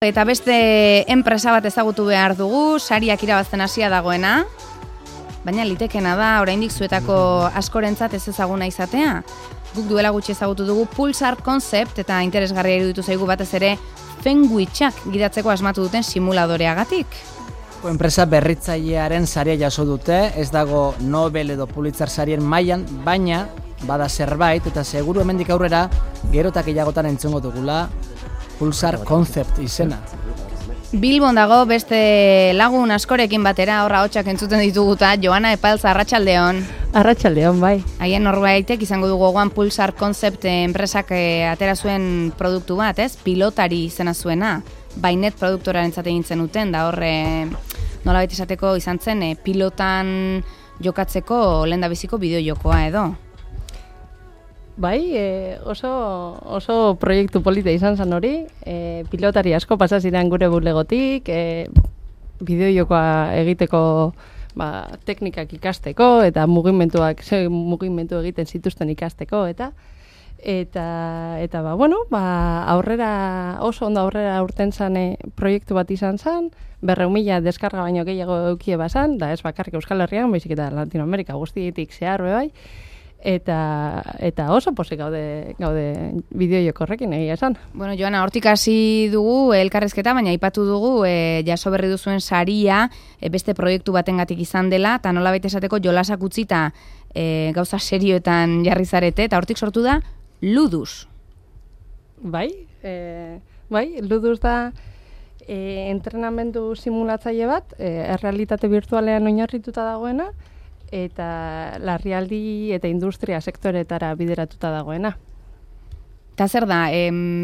Eta beste enpresa bat ezagutu behar dugu, sariak irabazten hasia dagoena, baina litekena da, oraindik zuetako askorentzat ez ezaguna izatea. Guk duela gutxi ezagutu dugu Pulsar Concept eta interesgarria iruditu zaigu batez ere Fenguitxak gidatzeko asmatu duten simuladoreagatik. Enpresa berritzailearen saria jaso dute, ez dago Nobel edo Pulitzer sarien mailan, baina bada zerbait eta seguru hemendik aurrera gero eta gehiagotan entzungo dugula Pulsar Concept izena. Bilbon dago beste lagun askorekin batera, horra hotxak entzuten dituguta, Joana Epaltza, arratsaldeon. Arratsaldeon, bai. Haien norbaitek izango dugu gogoan Pulsar Concept enpresak atera zuen produktu bat, ez? Pilotari izena zuena. Bainet produktorarentzat egin zenuten, da horre nolabait esateko izan zen pilotan jokatzeko lehendabiziko bideojokoa edo. Bai, oso proiektu polita izan zen hori, pilotari asko pasa ziren gure bulegotik, bideojokoa egiteko teknikak ikasteko eta mugimendu egiten zituzten ikasteko eta aurrera oso ondo aurrera urten zen proiektu bat izan zen, 400.000 deskarga baino gehiago eukie bazan, da ez bakarrik Euskal Herrian, baizik eta Latinoamerika guztietik zehar bai. Eta oso pozik gaude bideojoko horrekin egia esan. Bueno, Joana, hortik hasi dugu elkarrezketa, baina aipatu dugu jaso berri duzuen saria beste proiektu batengatik izan dela, eta nolabait esateko jolasak utzita gauza serioetan jarri zarete, eta hortik sortu da Ludus. Bai, Ludus da entrenamendu simulatzaile bat, errealitate virtualean oinarrituta dagoena, eta larrialdi eta industria sektoretara bideratuta dagoena. Eta zer da,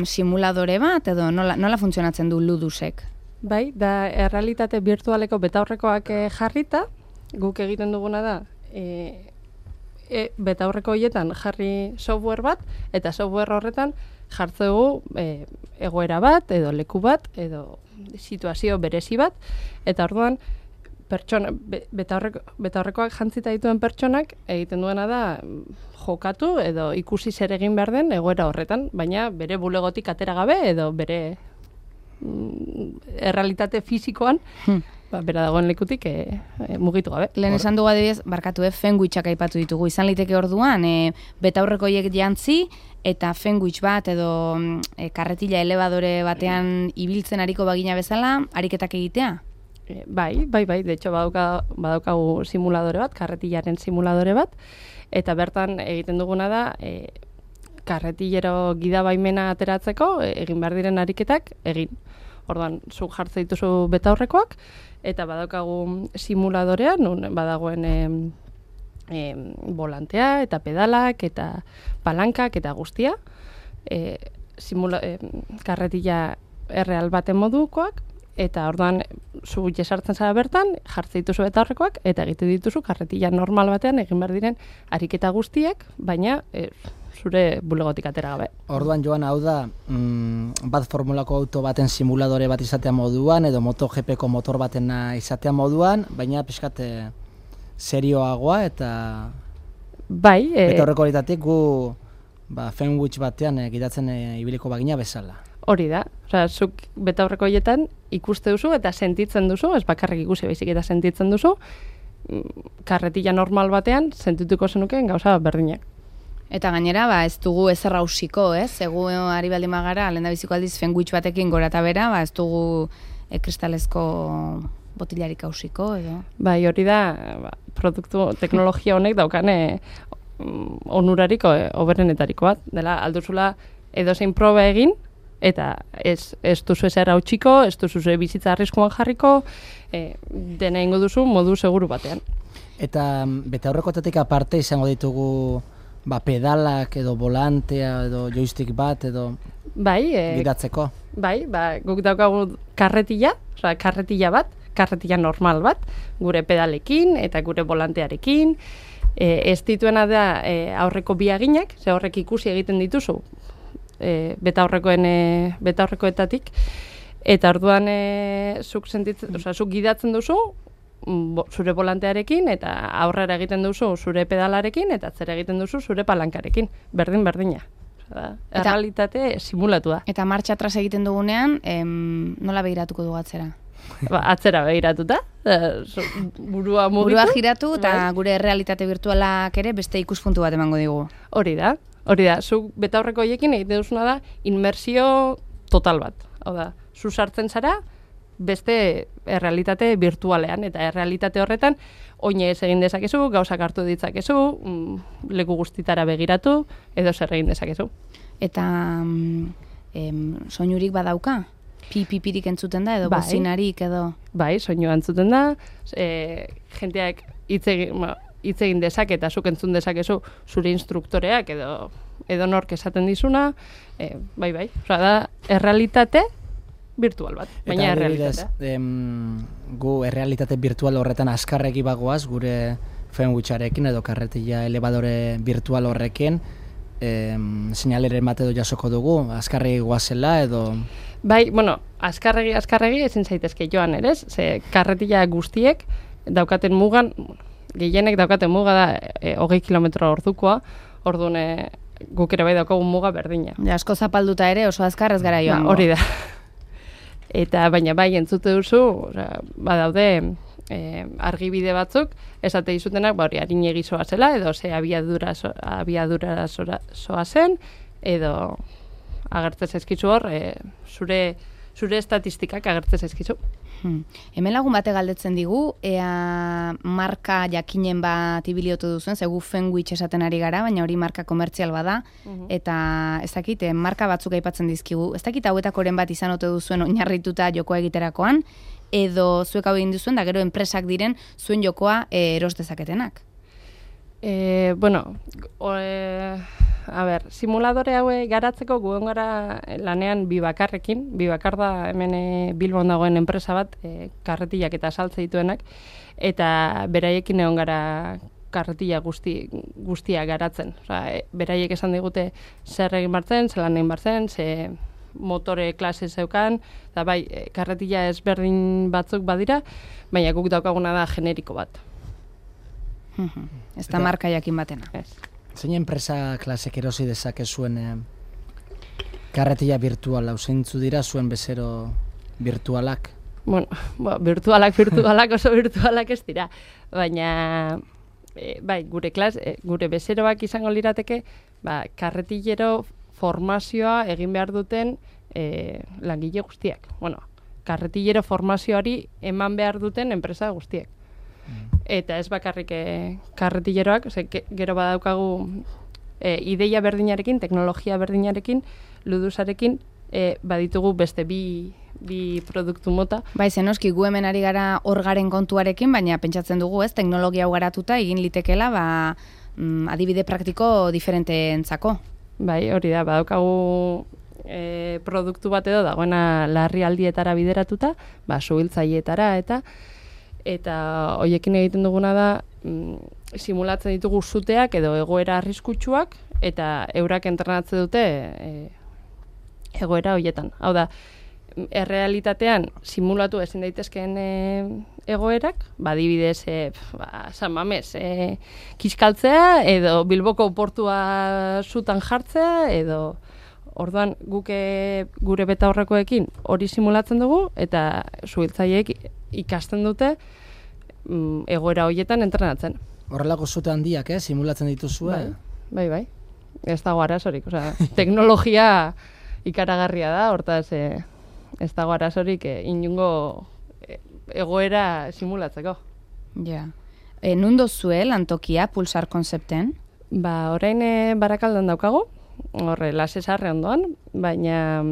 simuladore bat edo nola funtzionatzen du Ludusek? Bai, da errealitate virtualeko betaurrekoak jarrita, guk egiten duguna da, betaurreko horietan jarri software bat, eta software horretan jartzegu egoera bat, edo leku bat, edo situazio berezi bat, eta orduan, betaurrekoak jantzita dituen pertsonak egiten duena da jokatu edo ikusi zer egin behar den egoera horretan, baina bere bulegotik atera gabe edo bere errealitate fisikoan bera dagoen lekutik mugitu gabe. Lehen esan dugu adibidez, barkatu Fenguitxak aipatu ditugu, izan liteke orduan betaurrekoiek jantzi eta Fenguitx bat edo karretila elebadore batean ibiltzen ariko bagina bezala, ariketak egitea? Bai, de hecho badaukagu simuladore bat, karretilaren simuladore bat, eta bertan egiten duguna da, karretillero gidabaimena ateratzeko, egin behar diren ariketak, egin. Orduan, zuk jartze dituzu betaurrekoak, eta badaukagu simuladorea, nun badagoen volantea, eta pedalak, eta palankak, eta guztia, karretilla erreal baten modukoak, eta orduan zu jesartzen zara bertan, jartze dituzu betaurrekoak, eta egite dituzu karretilla normal batean egin behar diren ariketa guztiak, baina zure bulegotik atera gabe. Orduan, Joan, hau da, bat formulako auto baten simuladore bat izatea moduan, edo MotoGPko motor batena izatea moduan, baina pixkat serioagoa eta bai, betaurreko horitatik gu Fenguitx batean gidatzen ibiliko bagina bezala. Hori da, zuk betaurreko horietan ikuste duzu eta sentitzen duzu, ez bakarrik ikusi baizik eta sentitzen duzu, karretilla normal batean sentituko zenukeen gauza berdinak. Eta gainera, ez dugu ezer hausiko, ez? Egu ari baldin magara, lehendabiziko aldiz Fenguitx batekin gora eta bera, ez dugu kristalezko botilarik hausiko, edo? Bai, hori da, produktu teknologia honek daukane onurarik hoberenetariko bat, dela alduzula edozein proba egin, eta ez duzu ezer hautsiko, ez duzu bizitza arriskuan jarriko, dena ingo duzu modu seguru batean. Eta betaurrekoetatik aparte izango ditugu pedalak edo volantea edo joystick bat edo gidatzeko? Bai, guk daukagu karretilla bat, karretilla normal bat, gure pedalekin eta gure volantearekin. Ez dituena da aurreko biaginak, ze horrek ikusi egiten dituzu, betaurrekoetatik, eta orduan zuk gidatzen duzu zure volantearekin, eta aurrera egiten duzu zure pedalarekin, eta atzera egiten duzu zure palankarekin, berdina. Errealitate simulatua. Eta martxa atras egiten dugunean, nola begiratuko dugu atzera? Atzera begiratuta, burua mugitu. Burua giratu eta gure realitate virtualak ere beste ikuspuntu bat emango digu. Hori da. Zuk betaurreko horiekin egiten duzuna da inmersio total bat. Hau da, zu sartzen zara beste errealitate virtualean, eta errealitate horretan oinez egin dezakezu, gauzak hartu ditzakezu, leku guztitara begiratu, edo zer egin dezakezu. Eta soinurik badauka? Pipirik entzuten da, edo bozinarik, edo... Bai, soinua entzuten da, jenteak hitz egin dezake eta zuk entzun dezakezu zure instruktoreak edo nork esaten dizuna, bai. Osa da, errealitate virtual bat, baina errealitatea. Gu errealitate virtual horretan azkarregi bagoaz, gure Fenwicharekin edo karretilla elebadore virtual horrekin, seinaleren bat edo jasoko dugu, azkarregi guazela edo... Bai, azkarregi ezin zaitezke joan ere, ze karretilla guztiek daukaten mugan, gehienek daukaten muga da 20 kilometro ordukoa, orduan guk ere bai daukagun muga berdina. Asko zapalduta ere oso azkar ez gara joango. Hori da. Eta baina bai entzute duzu, badaude argibide batzuk, esate dizutenak, hori arinegi zoazela, edo ze abiadura zoazen, edo agertzen zaizkizu hor, zure estatistikak agertzen zaizkizu. Hemen lagun bate galdetzen digu, ea marka jakinen bat ibiliotu duzuen, zegu Fenwich esaten ari gara, baina hori marka komertzial bada, eta ez dakit, marka batzuk aipatzen dizkigu, ez dakit hauetakoren bat izan ote duzuen oinarrituta jokoa egiterakoan, edo zuek hau egin duzuen, da gero enpresak diren zuen jokoa eros dezaketenak. Simuladore haue garatzeko guen gara lanean Bibakar da hemen Bilbon dagoen enpresa bat, karretillak eta saltze dituenak, eta beraiekin egon gara karretilla guztia garatzen. Beraiek esan digute zer egin bartzen, zelan egin bartzen, ze motore klase zeukan, eta bai, karretilla ezberdin batzuk badira, baina guk daukaguna da generiko bat. Ez da marka jakin batena. Zein enpresa klasek erosi dezake zuen karretilla virtuala, zeintzu dira zuen bezero virtualak? Virtualak oso virtualak ez dira, baina bai, gure bezeroak izango lirateke, karretillero formazioa egin behar duten langile guztiak. Karretillero formazioari eman behar duten enpresa guztiak. Eta ez bakarrik karretilleroak, gero badaukagu ideia berdinarekin, teknologia berdinarekin, ludusarekin, baditugu beste bi produktu mota. Bai, zenoski gu hemen ari gara orgaren kontuarekin, baina pentsatzen dugu, ez, teknologia hau garatuta egin litekela, adibide praktiko diferenteentzako. Bai, hori da, badaukagu produktu bat edo dagoena larrialdietara bideratuta, suhiltzaileetara eta hoiekin egiten duguna da simulatzen ditugu zuteak edo egoera arriskutsuak eta eurak entrenatzen dute egoera hoietan. Hau da, errealitatean simulatu ezin daitezkeen egoerak, adibidez, San Mamés, kiskaltzea edo Bilboko portua zutan jartzea edo orduan gure betaurrekoekin hori simulatzen dugu eta suhiltzaileek ikasten dute egoera horietan entrenatzen. Horrelako zute handiak, simulatzen dituzue? Bai. Ez dago arazorik. Teknologia ikaragarria da, hortaz ez dago arazorik inungo egoera simulatzeko. Ja. Nun dozue lantokia Pulsar konzepten? Orain Barakaldan daukagu, horre Lasesarre ondoan, baina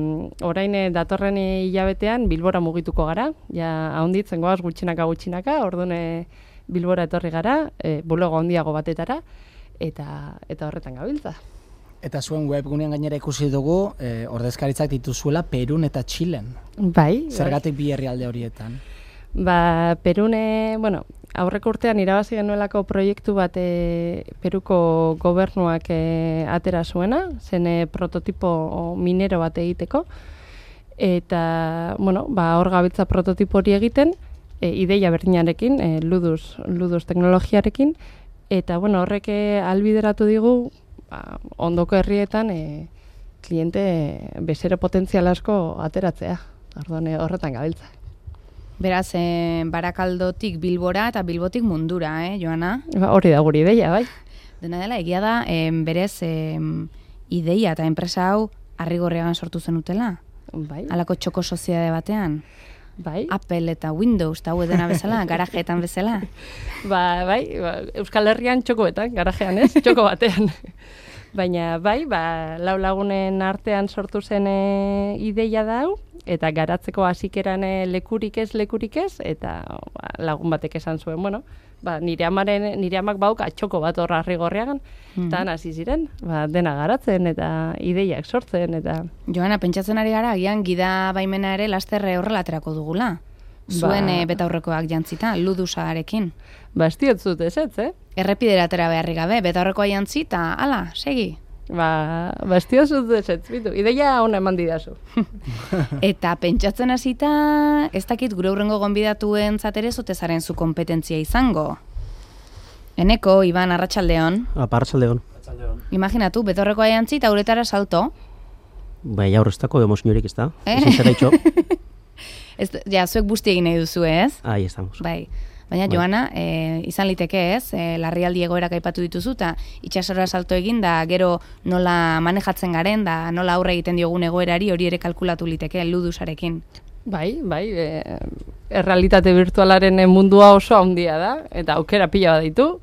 orain datorren hilabetean Bilbora mugituko gara, ja ahonditzen goaz gutxinaka, orduan Bilbora etorri gara, bulego handiago batetara, eta horretan gabiltza. Eta zuen webgunean gainera ikusi dugu, ordezkaritzak dituzuela Perun eta Txilen. Bai. Zergatik bi herrialde horietan? Perun, aurreko urtean irabazi genuelako proiektu bat Peruko gobernuak atera zuena, zen prototipo minero bat egiteko, eta, hor gabiltza prototipo hori egiten, ideia berdinarekin, luduz teknologiarekin, eta, horrek albideratu digu, ondoko herrietan kliente bezero potentzial asko ateratzea. Orduan horretan gabiltza. Beraz, Barakaldotik Bilbora eta Bilbotik mundura, Joana? Hori da guri ideia, bai. Dena dela, egia da, berez, ideia eta enpresa hau Arrigorriagan sortu zenutela? Bai. Halako txoko soziedade batean? Bai. Apple eta Windows eta dena bezala, garajeetan bezala? Bai, Euskal Herrian txokoetan, garajean ez, txoko batean. Baina bai, lau lagunen artean sortu zen ideia da hau, eta garatzeko hasikeran lekurik ez, eta lagun batek esan zuen, bueno, nire amak bauka txoko bat horra Arrigorriagan, eta hasi ziren, dena garatzen eta ideiak sortzen, eta... Joana, pentsatzen ari gara, agian gida baimena ere lasterre horrela aterako dugula. Zuen betaurrekoak jantzita, ludusarekin. Ez diotzut ez, Errepidera atera beharrik gabe, betaurrekoa jantzi eta hala, segi. Ez diotzut ez, bitu, ideia hona eman didazu. Eta pentsatzen hasita, ez dakit gure hurrengo gonbidatuen zatere zotezaren zu kompetentzia izango. Eneko, Iban, arratsaldeon. Arratsaldeon. Imaginatu, betaurrekoa jantzi eta uretara salto. Bai, aurreztako emoziorik ez da. Ezin zera itxo. Zuek busti egin nahi duzu, ez? Ahí estamos. Bai. Baina, Joana, izan liteke ez, larrialdi egoerak aipatu dituzu, eta itxasora salto egin da, gero nola manejatzen garen, da nola aurre egiten diogun egoerari hori ere kalkulatu liteke, ludusarekin. Bai, errealitate virtualaren mundua oso handia da, eta aukera pila bat ditu,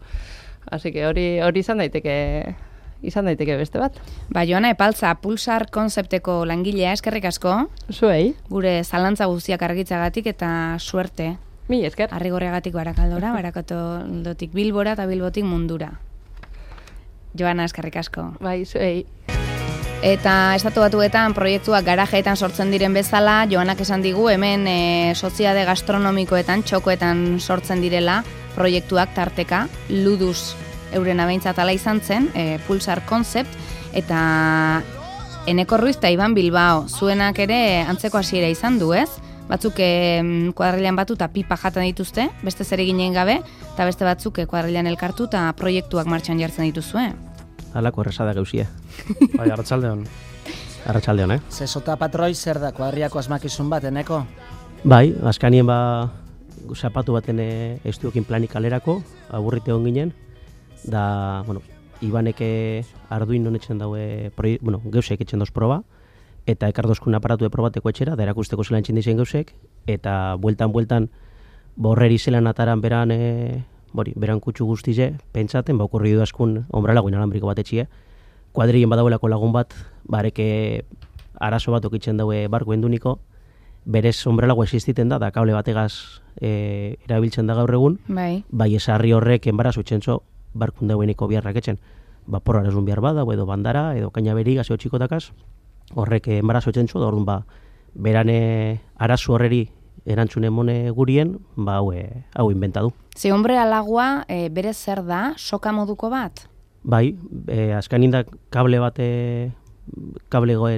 así que hori izan daiteke beste bat. Joana Epaltza, Pulsar konzepteko langilea, eskerrik asko. Zuei. Gure zalantza guztiak argitzagatik eta suerte. Mi esker. Arrigorriagatik Barakaldora, Barakaldotik Bilbora eta Bilbotik mundura. Joana, eskerrik asko. Bai, zuei. Eta Estatu Batuetan proiektuak garajeetan sortzen diren bezala, Joanak esan digu hemen soziedade gastronomikoetan, txokoetan sortzen direla proiektuak tarteka, luduz euren abeintzat ala izan zen, Pulsar Concept, eta Eneko Ruiz eta Iban Bilbao, zuenak ere antzeko hasiera izan du, ez? Batzuk kuadrilean batu eta pipa jaten dituzte, beste zer eginen gabe, eta beste batzuk kuadrilean elkartu eta proiektuak martxan jartzen dituzue. Halako erresa da gausia. Bai, arratsaldeon. Arratsaldeon, Zesota patroi zer da, kuadriako asmakizun bat, Eneko? Bai, azkanien zapatu baten estudiokin planik kalerako, aburrite hon ginen, da, Ibaneke Arduino etxen daue, geusek etxen dauz proba, eta ekardozkun aparatu probateko etxera, da erakusteko zelan txin dizen geusek, eta bueltan, borreri zelan ataran beran kutsu guztize, pentsaten, okurri du askun ombralagoin alambriko bat etxie, kuadrien badauelako lagun bat, bareke arazo bat okitzen daue barko enduniko, berez ombrelago existiten da kable bategaz erabiltzen da gaur egun, bai esarri horrek enbarazo etxentzo, barkun daueniko biharrak etxen, porrarazun bihar bada, edo bandara, edo kainaberi gazio txikotakaz, horrek enbarazo etxentzo, da orduan berane arazo horreri erantzune mone gurien, hau inventadu. Ze ombrelagua berez zer da, soka moduko bat? Bai, azkanin da kable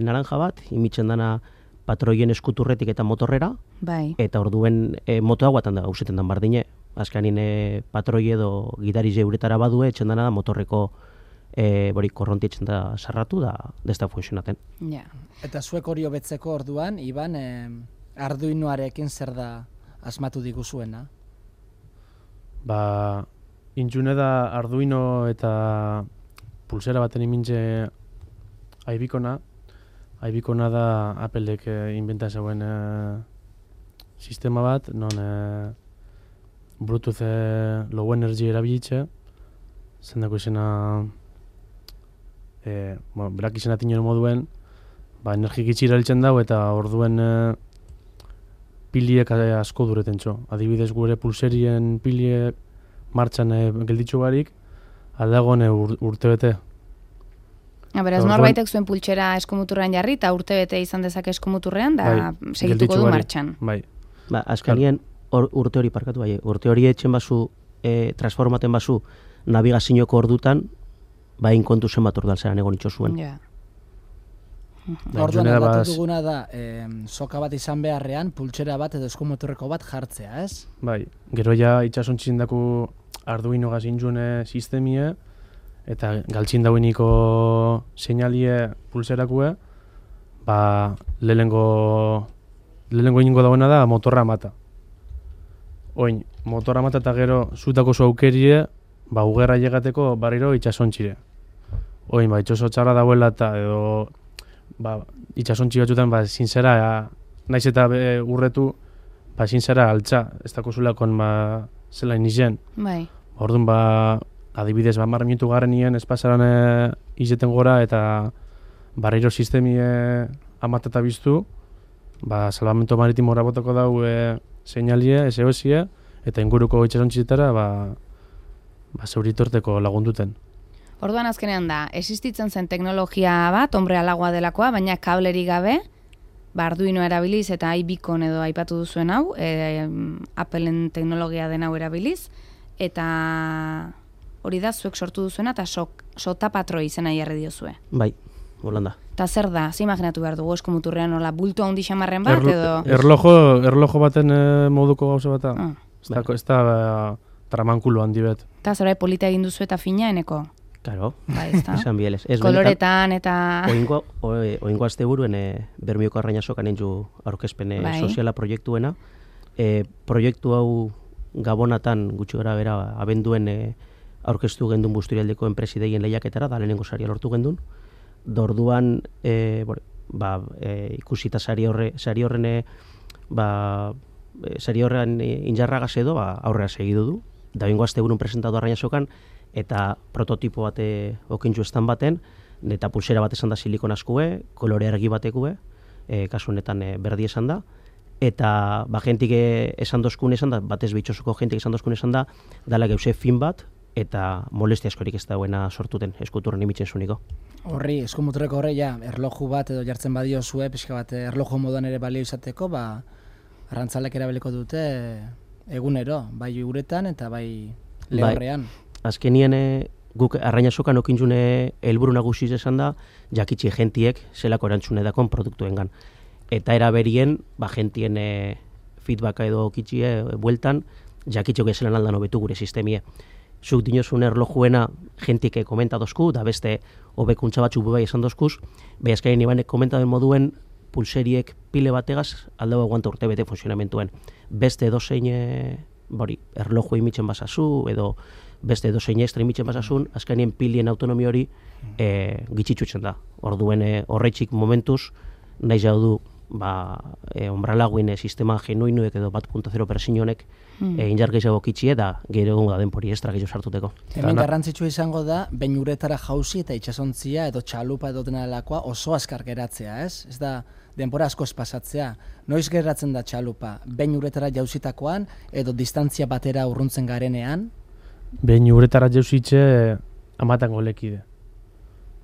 naranja bat, imitzen dana patroien eskuturretik eta motorrera, eta orduen moto hauatan da, gauzeten dan bardine, azkanin patroi edo gidarize uretara badue, etxen dana da motorreko korronti etxen da sarratu, da ez da funtzionaten. Eta zuek hori hobetzeko orduan, Iban, Arduinoarekin zer da asmatu diguzuena? Intxune da Arduino eta pulsera baten imintze Aibikona da Applek inventa zeuen sistema bat, non Bluetooth low energy erabilitze, zendako izena, berak izena tinen moduen, energik itxi erabiltzen dago eta orduen piliek asko dureten txo. Adibidez gure pulserien piliek martxan gelditxu barik, aldagoen urtebete. Beraz, norbaitek zuen pultsera eskomuturrean jarri, eta urtebete izan dezake eskomuturrean, da segituko du martxan. Bai. Azkanien urte hori parkatu bai, urte hori etxen bazu, transformaten bazu, navigazioko ordutan, bain kontu zen bat ordalzeran egon itxo zuen. Orduan aldatu duguna da, soka bat izan beharrean, pultsera bat edo eskomuturreko bat jartzea, ez? Bai, gero ja itxasontxin daku Arduino gazintzune sistemie, eta galtzin daueniko seinalie pulserakue, lehenengo egingo dagoena da motorra mata. Oin, motorra mata eta gero zutako zu aukerie, ugerra llegateko barriro itxasontxire. Oin, itxoso txarra dauela eta edo itxasontxi batzutan ezin zera, naiz eta urretu, ezin zera altza, ez dako zulakon zela inizen. Bai. Orduan adibidez, 10 minutu garrenien espazaran izeten gora eta barriro sistemi amatata biztu, salvamento maritimora botako dau seinalie, SOS-ie, eta inguruko itxasontxitara zeuritorteko lagunduten. Orduan azkenean da, existitzen zen teknologia bat, hombre alagoa delakoa, baina kableri gabe, Arduino erabiliz eta iBeacon edo aipatu duzuen hau, Appleen teknologia den hau erabiliz, eta hori da zuek sortu duzuena eta sotapatroi izena jarri diozue. Bai, Holanda. Eta zer da, ze imaginatu behar dugu eskomuturrean nola bulto handi xamarren bat edo... Erlojo baten moduko gauza bat da. Ez da tramankulo handi bet. Eta zerbait polita egin duzu eta fina eneko? Claro, izan bieles. Koloretan eta... Oingo azte buruen Bermioko Arrainasokan entzu aurkezpen soziala proiektuena. Proiektu hau Gabonatan gutxi gara bera abenduen aurkeztu gendun busturialdeko enpresideien lehiaketara, da lehenengo saria lortu gendun. Dorduan ikusita sari horren injarragaz edo aurrera segidu du. Da oingo azte burun presentatu Arrainasokan, eta prototipo bat okintxu estan baten, eta pulsera bat esan da silikon askue, kolore argi batekue, kasu honetan berdi esan da, eta jentik esan dozkun esan da, batez bitxosuko jentik esan dozkun esan da, dala geuse fin bat, eta molestia askorik ez dauena sortuten, eskuturren imitzen zuniko. Horri, eskumuturreko horre, erloju bat edo jartzen badio zue, pixka bat erloju moduan ere balio izateko, arrantzalek erabiliko dute egunero, bai uretan eta bai lehorrean. Azkenien guk Arrainasokan okintzune helburu nagusiz esan da, jakitxi jentiek zelako erantzune dakon produktuengan. Eta eraberien, jentien feedbacka edo okitxie bueltan, jakitxok ezelan aldan hobetu gure sistemie. Zuk dinozun erlojuena jentik komentadozku, da beste hobekuntza batzuk bai esan dozkuz, bai azkaien ibanek komentaden moduen pulseriek pile bategaz aldau aguanta urte bete funtzionamentuen. Beste edozein erloju imitzen basazu, edo beste edozein estra imitzen basasun, azkainien pilien autonomi hori gitxitzutzen da. Orduen horretxik momentuz, nahi jau du onbralaguin sistema genuinuek edo 1.0 persionek injargeizago kitxie da gero egun da denpori estra gehiago sartuteko. Hemen garrantzitsua izango da, behin uretara jauzi eta itxasontzia edo txalupa edo denalakoa oso azkar geratzea, ez? Ez da denpora askoz pasatzea. Noiz geratzen da txalupa? Behin uretara jauzitakoan edo distantzia batera urruntzen garenean? Behin uretara jauzitxe amatan golekide.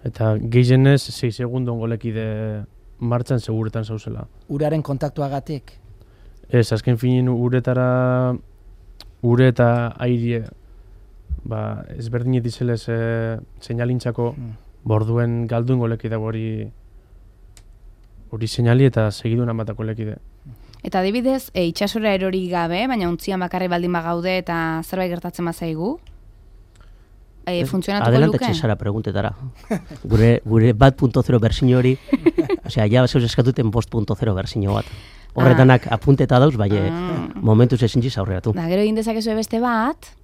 Eta gehienez 6 segundon golekide martxan seguretan zauzela. Uraren kontaktuagatik? Ez, azken finin ure eta airie ezberdinet izelez seinalintzako borduen galduen golekide hori seinali eta segidun amatako lekide. Eta adibidez, itxasora erori gabe, baina untzian bakarri baldin bagaude eta zerbait gertatzen bazaigu? Funtzionatuko luke? Adelantatzen zara preguntetara. Gure 1.0 berzino hori, ja zeuz eskatuten 5.0 berzino bat. Horretanak apunteta dauz, momentuz ezintziz aurreratu. Da, gero egin dezakezu beste bat,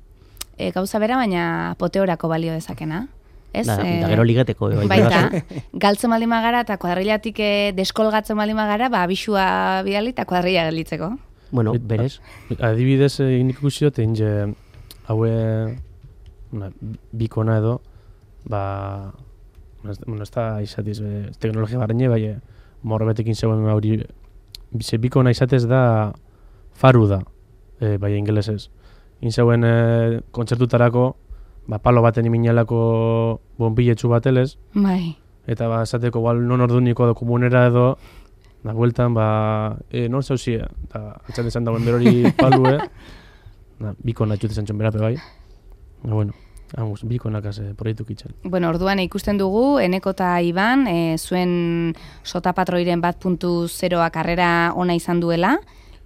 gauza bera, baina poteorako balio dezakena. Da gero ligateko. Baita, galtzen baldin magara eta kuadrillatik deskolgatzen baldin magara, abisua bidali eta kuadrilla galitzeko. Bueno, berez. Adibidez, ikusi dut, haue bikona edo, ez da izatiz teknologia barreine, morbetekin zegoen hori, bikona izatez da faru da, ingelesez. Inzeuen kontzertutarako, palo baten iminalako bonbilletxu batelez, eta esateko non orduniko komunera edo, da bueltan, non zauzie, eta atxan esan dagoen berori palue, bikona etxute zantxon berape bai. Bueno, bikonakaz proiektu kitzen. Bueno, orduan ikusten dugu, Eneko eta Iban, zuen sotapatroiren 1.0 karrera ona izan duela,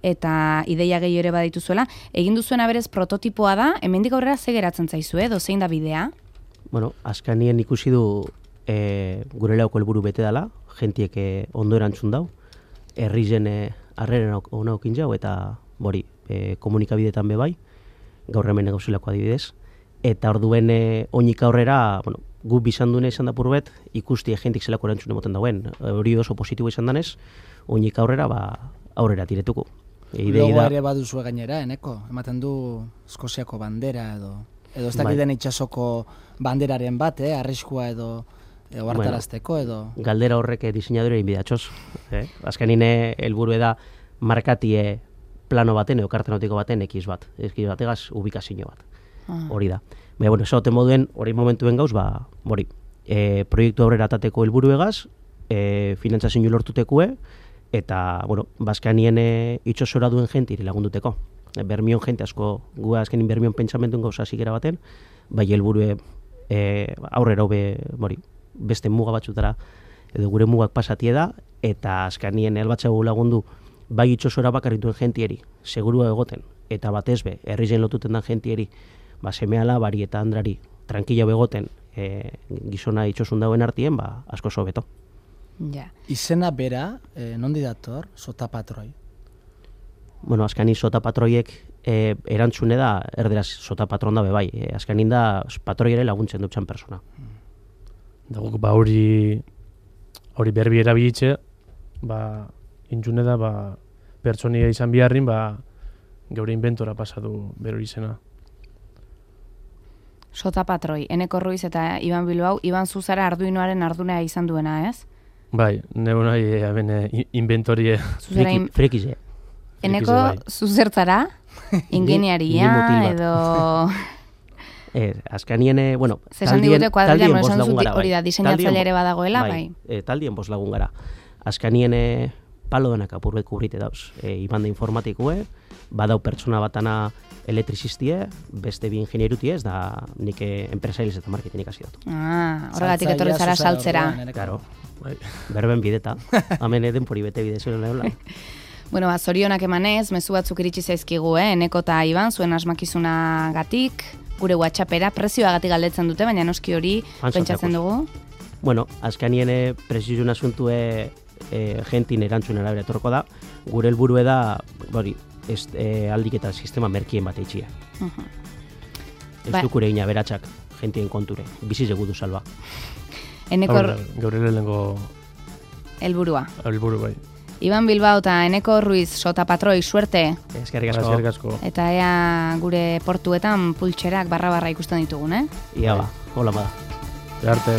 eta ideia gehi ere badituzuela. Egin duzuena berez prototipoa da, hemendik aurrera ze geratzen zaizu, edo zein da bidea? Bueno, azkanien ikusi du gure lauko helburu bete dela, jentiek ondo erantzun dau, herri zen harreren ona okin jau, eta bori, komunikabidetan be bai, gaur hemen gauzilako adibidez, eta orduen oinik aurrera, bueno, gu bizan dune izan da purbet, ikusti jentik zelako erantzun emoten dauen, hori oso positibo izan danez, oinik aurrera, aurrera tiretuko. Logo ere baduzue gainera, eneko? Ematen du Eskoziako bandera edo ez dakiten itxasoko banderaren bat, arriskua edo hartarazteko edo... Galdera horrek diseinadore inbidatxoz. Azkenin helburu da markatie plano baten, edo kartenotiko baten ekiz bategaz ubikazio bat. Hori da. Baina, bueno, esaten moduen, hori momentuen gauz, hori, proiektu aurrera atateko helburu egaz, finantzazio lortutekue, eta, bueno, bazkanien itxosora duen jentiri lagunduteko. Bermion jente asko, gu azkenin bermion pentsamentuen gauza zikera baten, bai helburue aurrera beste muga batzutara edo gure mugak pasatie da, eta azkanien elbatzago lagundu bai itxosora bakarrituen jentieri, segurua egoten, eta batez be, herrizen lotuten den jentieri, semeala, bari eta andrari, tranquila begoten gizona itxosun dauen artien, asko sobeto. Ja. Izena bera, nondi dator, Sota Patroi? Bueno, azkanin Sota Patroiek erantzune da, erderaz Sota Patron da bebai, azkanin da patroiere laguntzen dutxan persona. Da guk hori berbi erabilitze, intzune da, pertsonia izan biharrin, geure inventora pasatu berori izena. Sota Patroi, Eneko Ruiz eta Iban Bilbao, Iban Zuzara Arduinoaren ardunea izan duena, ez? Bai, neu nahi inventorie... Frekize. Eneko zuzertzara, ingeniaria edo... Azkanien, bueno, taldien bost lagun gara, hori da, diseinatzaile ere badagoela, bai. Taldien bost lagun gara. Azkanien palo denak apurbet kubrite dauz. Iban da informatikue, badau pertsona batana elektrizistie, beste bi ingenierutie ez, da nik enpresailiz eta marketing ikasi dut. Horregatik etorri zara saltzera. Claro, berben bideta. Hemen denpori bete bide zuen lehola. Bueno, zorionak emanez, mezu batzuk iritsi zaizkigu, Eneko eta Iban, zuen asmakizunagatik, gure WhatsAppera, prezioagatik galdetzen dute, baina noski hori pentsatzen dugu. Bueno, azkanien prezioen asuntue jentin erantzun arabera etorko da, gure helburue da, aldik eta sistema merkien bat eitxia. Ez dukure ina beratxak, jentien konture, biziz egudu salba. Gaur lehenengo... Helburua. Helburu bai. Iban Bilbao eta Eneko Ruiz, Sota Patroi, suerte. Eskerrik asko. Eta ea gure portuetan pultxerak barra-barra ikusten ditugun, Ia hola bada. Arte.